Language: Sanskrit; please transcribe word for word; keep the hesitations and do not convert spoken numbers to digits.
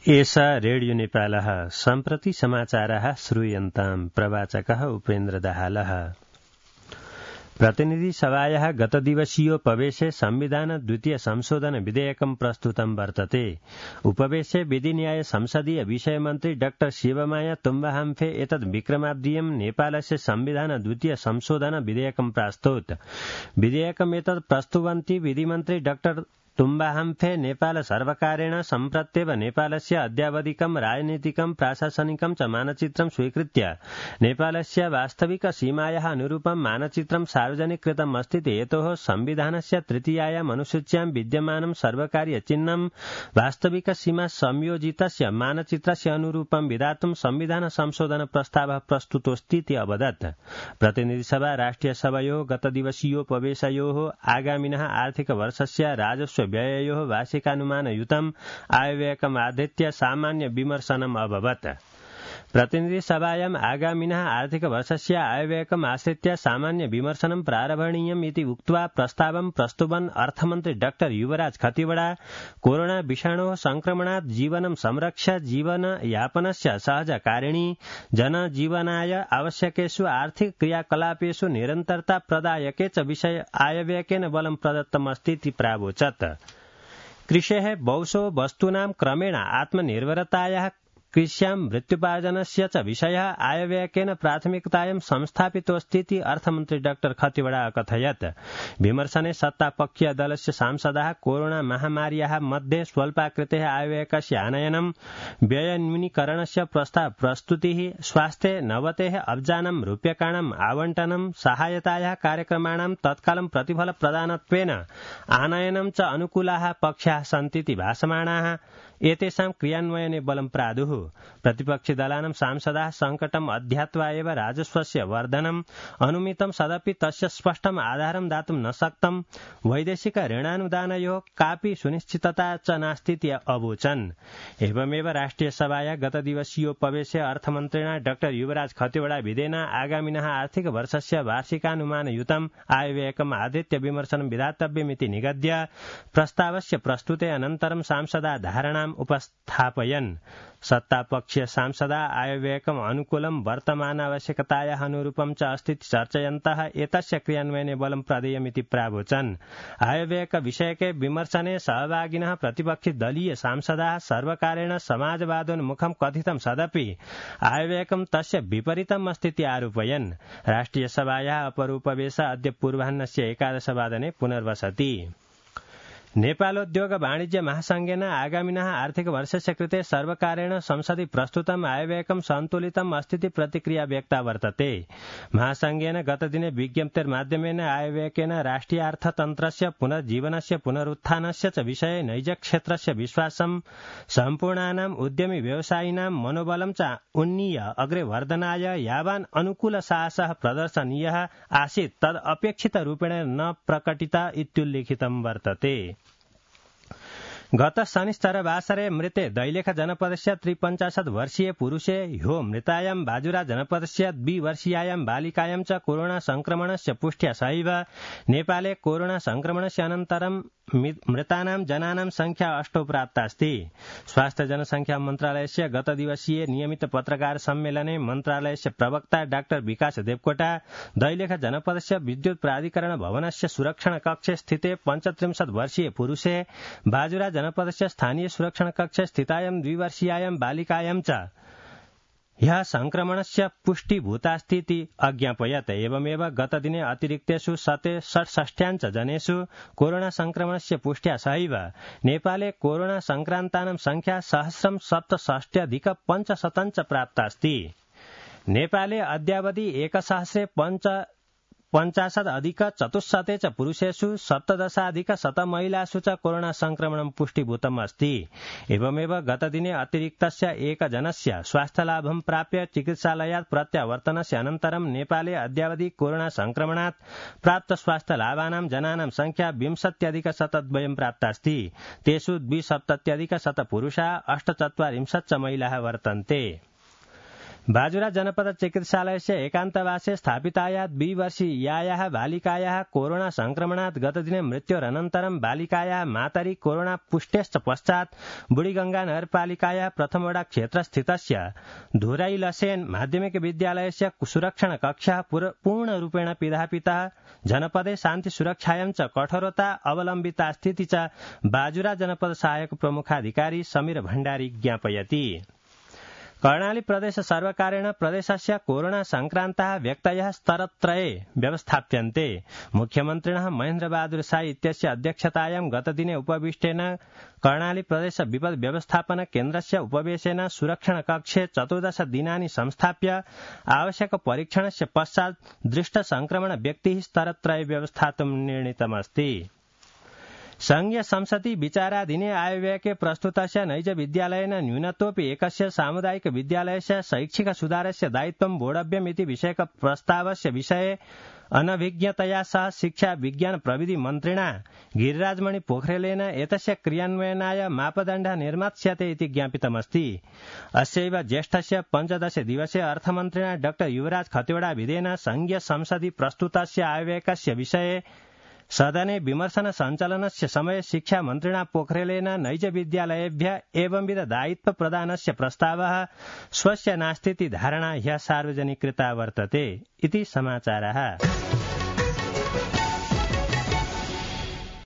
एषा रेडियो नेपालः सम्प्रति समाचारः श्रूयन्ताम् प्रवाचकः उपेन्द्र दाहालः। प्रतिनिधि सभायाः गतदिवसीयोपवेशे संविधान द्वितीय संशोधन विधेयकं प्रस्तुतं वर्तते। उपवेशे विधिन्याय संसदीय विषयमन्त्री डाक्टर शिवमाया तुम्बाहाम्फे एतद् विक्रमाब्दीयं नेपालस्य संविधान द्वितीय संशोधन विधेयकं प्रास्तौत्। विधेयकम् एतत् प्रस्तुवन्ती विधिमन्त्री डाक्टर तुम्बाहाम्फे नेपाल सर्वकारेण सम्प्रत्येव नेपालस्य अद्यावधिकं राजनीतिकं प्राशासनिकं च मानचित्रं स्वीकृत्य नेपालस्य वास्तविक सीमायाः अनुरूपं मानचित्रं सार्वजनिकृतम् अस्ति। हेतोः संविधानस्य तृतीयायाम् अनुसूच्यां विद्यमानं सर्वकारीय चिह्नं वास्तविक सीमा संयोजितस्य मानचित्रस्य अनुरूपं विधातुं संविधान संशोधन प्रस्तावः प्रस्तुतोऽस्तीति अवदत्। प्रतिनिधिसभा राष्ट्रियसभयोः गतदिवसीयोपवेशयोः आगामिनः आर्थिक वर्षस्य राजस्व व्यययोः वार्षिकानुमानयुतम् आयव्ययकमाधृत्य सामान्य विमर्शनम् अभवत्। प्रतिनिधिसभायाम् आगामिनः आर्थिकवर्षस्य आयव्ययकम् आश्रित्य सामान्य विमर्शनं प्रारभणीयम् इति उक्त्वा प्रस्तावं प्रस्तुवन् अर्थमन्त्री डाक्टर युवराज खतिवड़ा कोरोना विषाणोः संक्रमणात् जीवनं संरक्ष्य जीवनयापनस्य सहजकारिणी जनजीवनाय आवश्यकेषु आर्थिक क्रियाकलापेषु निरन्तरता प्रदायके च विषय आयव्ययकेन बलं प्रदत्तमस्तीति प्रावोचत्। कृषेः बहुशो वस्तूनां क्रमेण आत्मनिर्भरतायाः कृष्यां मृत्युपार्जनस्य च विषयः आयव्ययकेन प्राथमिकतायां संस्थापितोऽस्तीति अर्थमन्त्री डाक्टर खतिवड़ा अकथयत्। विमर्शने सत्तापक्षीय दलस्य सांसदाः कोरोना महामार्याः मध्ये स्वल्पाकृतेः आयव्ययकस्य आनयनं व्ययन्यूनीकरणस्य प्रस्ताव प्रस्तुतिः स्वास्थ्ये नवतेः अब्जानां रूप्यकाणाम् आवण्टनं सहायतायाः कार्यक्रमाणां तत्कालं प्रतिफलप्रदानत्वेन आनयनं च अनुकूलाः पक्षाः सन्तीति भासमाणाः। एतेषां क्रियान्वयने बलं प्रादुः। प्रतिपक्षिदलानां सांसदाः संकटम् अध्यात्वा एव राजस्वस्य वर्धनम् अनुमितं सदपि तस्य स्पष्टम् आधारं दातुं न शक्तम्। वैदेशिक ऋणानुदानयोः कापि सुनिश्चितता च नास्तीति अवोचन्। एवमेव राष्ट्रियसभाया गतदिवसीयोपवेशे अर्थमन्त्रिणा डाक्टर युवराज खतिवड़ा विधेना आगामिनः आर्थिक वर्षस्य वार्षिकानुमानयुतम् आयव्ययकम् आधृत्य विमर्शनं विधातव्यमिति निगद्य प्रस्तावस्य प्रस्तुते अनन्तरं सांसदा धारणाम् उपस्थापयन्। सत्तापक्षीय सांसदा आयव्ययकम् अनुकूलं वर्तमान आवश्यकतायाः अनुरूपं च अस्तीति चर्चयन्तः एतस्य क्रियान्वयने बलं प्रदेयमिति प्रावोचन्। आयव्ययक विषयके विमर्शने सहभागिनः प्रतिपक्षी दलीय सांसदाः सर्वकारेण समाजवादोन्मुखं कथितं सदपि आयव्ययकं तस्य विपरीतम् अस्तीति आरोपयन्। राष्ट्रियसभायाः अपरोपवेश अद्य पूर्वाह्नस्य एकादशवादने पुनर्वसति। नेपालोद्योग वाणिज्य महासंघेन आगामिनः आर्थिक वर्षस्य कृते सर्वकारेण संसदि प्रस्तुतम् आयव्ययकं सन्तुलितम् अस्तीति प्रतिक्रिया व्यक्ता वर्तते। महासंघेन गतदिने विज्ञप्तिर्माध्यमेन आयव्ययकेन राष्ट्रियार्थतन्त्रस्य पुनर्जीवनस्य पुनरुत्थानस्य च विषये नैजक्षेत्रस्य विश्वासं सम्पूर्णानाम् उद्यमी व्यवसायिनां मनोबलं च उन्नीय अग्रे वर्धनाय यावान् अनुकूल साहसः प्रदर्शनीयः आसीत् तद् अपेक्षितरूपेण न प्रकटित इत्युल्लिखितं वर्तते। गत शनिश्चरवासरे मृते दैलेख जनपदस्य त्रिपञ्चाशत् वर्षीय पुरुषे ह्यो मृतायां बाजुरा जनपदस्य द्विवर्षीयायां बालिकायां च कोरोना संक्रमणस्य पुष्ट्या सहैव नेपाले कोरोना संक्रमणस्य अनन्तरं मृतानां जनानां संख्या अष्टौ प्राप्ता अस्ति। स्वास्थ्य जनसंख्या मन्त्रालयस्य गतदिवसीय नियमित पत्रकार सम्मेलने मन्त्रालयस्य प्रवक्ता डाक्टर विकास देवकोटा दैलेख जनपदस्य विद्युत प्राधिकरण भवनस्य सुरक्षण कक्षे स्थिते पञ्चत्रिंशत् वर्षीय पुरुषे बाजुरा जनपदस्य स्थानीय सुरक्षण कक्षे स्थितायां द्विवर्षीयायां बालिकायां च ह्यः संक्रमणस्य पुष्टिभूतास्तीति अज्ञापयत्। एवमेव गतदिने अतिरिक्तेषु शते षट्षष्ट्याञ्च जनेषु कोरोना संक्रमणस्य पुष्ट्या सहैव नेपाले कोरोना संक्रान्तानां संख्या सहस्रं सप्तषष्ट्यधिक पञ्चशतञ्च प्राप्तास्ति। नेपाले अद्यावधि एकसहस्रे पञ्च पञ्चाशत् अधिक चतुश्शते च पुरुषेषु सप्तदशाधिक शत महिलासु च कोरोना संक्रमणं पुष्टिभूतम् अस्ति। एवमेव गतदिने अतिरिक्तस्य एकजनस्य स्वास्थ्यलाभं प्राप्य चिकित्सालयात् प्रत्यावर्तनस्य अनन्तरं नेपाले अद्यावधि कोरोना संक्रमणात् प्राप्त स्वास्थ्यलाभानां जनानां संख्या विंशत्यधिक शतद्वयं प्राप्तास्ति। तेषु द्विसप्तत्यधिक शत पुरुषाः अष्टचत्वारिंशत् च महिलाः वर्तन्ते। बाजुरा जनपद चिकित्सालयस्य एकान्तवासे स्थापितायाः द्विवर्षीयायाः बालिकायाः कोरोना संक्रमणात् गतदिने मृत्योरनन्तरं बालिकायाः मातरि कोरोना पुष्टेश्च पश्चात् बुढीगंगा नगरपालिकायाः प्रथमवडा क्षेत्रस्थितस्य धुरैलसेन माध्यमिक विद्यालयस्य सुरक्षण कक्षः पूर्णरूपेण पिधापितः जनपदे शान्ति सुरक्षायां च कठोरता अवलम्बिता स्थिति च बाजुरा जनपद सहायक प्रमुखाधिकारी समीर भण्डारी ज्ञापयति। कर्णाली प्रदेश सर्वकारेण प्रदेशस्य कोरोना संक्रान्ताः व्यक्तयः स्तरत्रये व्यवस्थाप्यन्ते। मुख्यमन्त्रिणः महेन्द्रबहादुर साई इत्यस्य अध्यक्षतायां गतदिने उपविष्टेन कर्णाली प्रदेश विपद व्यवस्थापन केन्द्रस्य उपवेशेन सुरक्षण कक्षे चतुर्दश दिनानि संस्थाप्य आवश्यक परीक्षणस्य पश्चात् दृष्ट संक्रमण व्यक्तिः स्तरत्रये व्यवस्थातुं निर्णीतमस्ति। संघीय संसदि विचाराधीने आयव्ययके प्रस्तुतस्य नैज विद्यालयेन न्यूनतोऽपि एकस्य सामुदायिक विद्यालयस्य शैक्षिक सुधारस्य दायित्वं वोढव्यम् इति विषयक प्रस्तावस्य विषये अनभिज्ञतया सह शिक्षा विज्ञान प्रविधि मन्त्रिणा गिरिराजमणि पोखरेलेन एतस्य क्रियान्वयनाय मापदण्डः निर्मास्यते इति ज्ञापितमस्ति। अस्यैव ज्येष्ठस्य पञ्चदश दिवसे अर्थमन्त्रिणा डॉ युवराज खतिवड़ाभिधेन संघीय संसदि प्रस्तुतस्य आयव्ययकस्य विषये सदने विमर्शन सञ्चालनस्य समये शिक्षा मन्त्रिणा पोखरेलेन नैज विद्यालयेभ्यः एवंविध दायित्व प्रदानस्य प्रस्तावः स्वस्य नास्तीति धारणा ह्यः सार्वजनिकृता वर्तते इति समाचारः।